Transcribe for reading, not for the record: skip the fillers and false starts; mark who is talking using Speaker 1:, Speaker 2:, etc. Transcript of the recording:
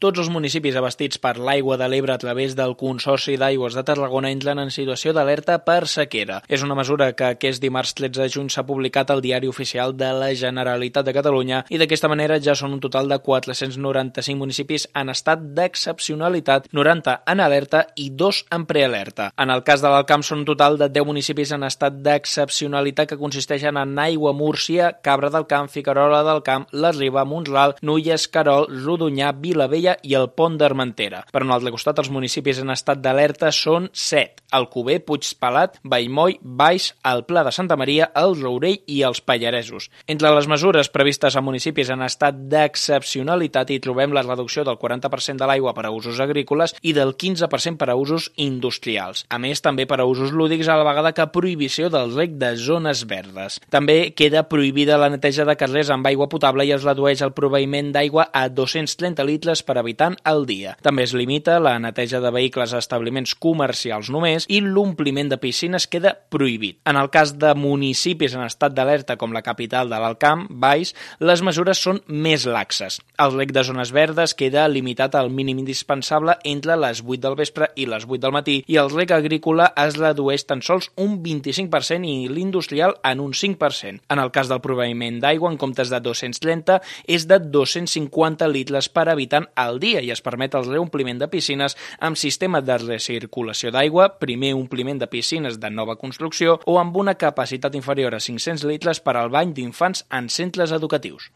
Speaker 1: Tots els municipis abastits per l'aigua de l'Ebre a través del Consorci d'Aigües de Tarragona entren en situació d'alerta per sequera. És una mesura que aquest dimarts 13 de juny s'ha publicat al Diari Oficial de la Generalitat de Catalunya i d'aquesta manera ja són un total de 495 municipis en estat d'excepcionalitat, 90 en alerta i 2 en prealerta. En el cas de l'Alt Camp són un total de 10 municipis en estat d'excepcionalitat que consisteixen en Aigua, Múrcia, Cabra del Camp, Figuerola del Camp, La Riba, Mont-ral, Nulles, Querol, Rodonyà, Vilavella i el Pont d'Armentera. Per un altre costat, els municipis en estat d'alerta són 7. Alcover, Puigpelat, Vallmoll, Baix, el Pla de Santa Maria, el Rourell i els Pallaresos. Entre les mesures previstes a municipis en estat d'excepcionalitat hi trobem la reducció del 40% de l'aigua per a usos agrícoles i del 15% per a usos industrials. A més, també per a usos lúdics, a la vegada que prohibició del reg de zones verdes. També queda prohibida la neteja de carrers amb aigua potable i es redueix el proveïment d'aigua a 230 litres per habitant al dia. També es limita la neteja de vehicles a establiments comercials només i l'ompliment de piscines queda prohibit. En el cas de municipis en estat d'alerta com la capital de l'Alt Camp, Baix, les mesures són més laxes. El reg de zones verdes queda limitat al mínim indispensable entre les 8 del vespre i les 8 del matí i el reg agrícola es redueix tan sols un 25% i l'industrial en un 5%. En el cas del proveïment d'aigua, en comptes de 230, és de 250 litres per habitant al dia i es permet el reompliment de piscines amb sistema de recirculació d'aigua, primer ompliment de piscines de nova construcció o amb una capacitat inferior a 500 litres per al bany d'infants en centres educatius.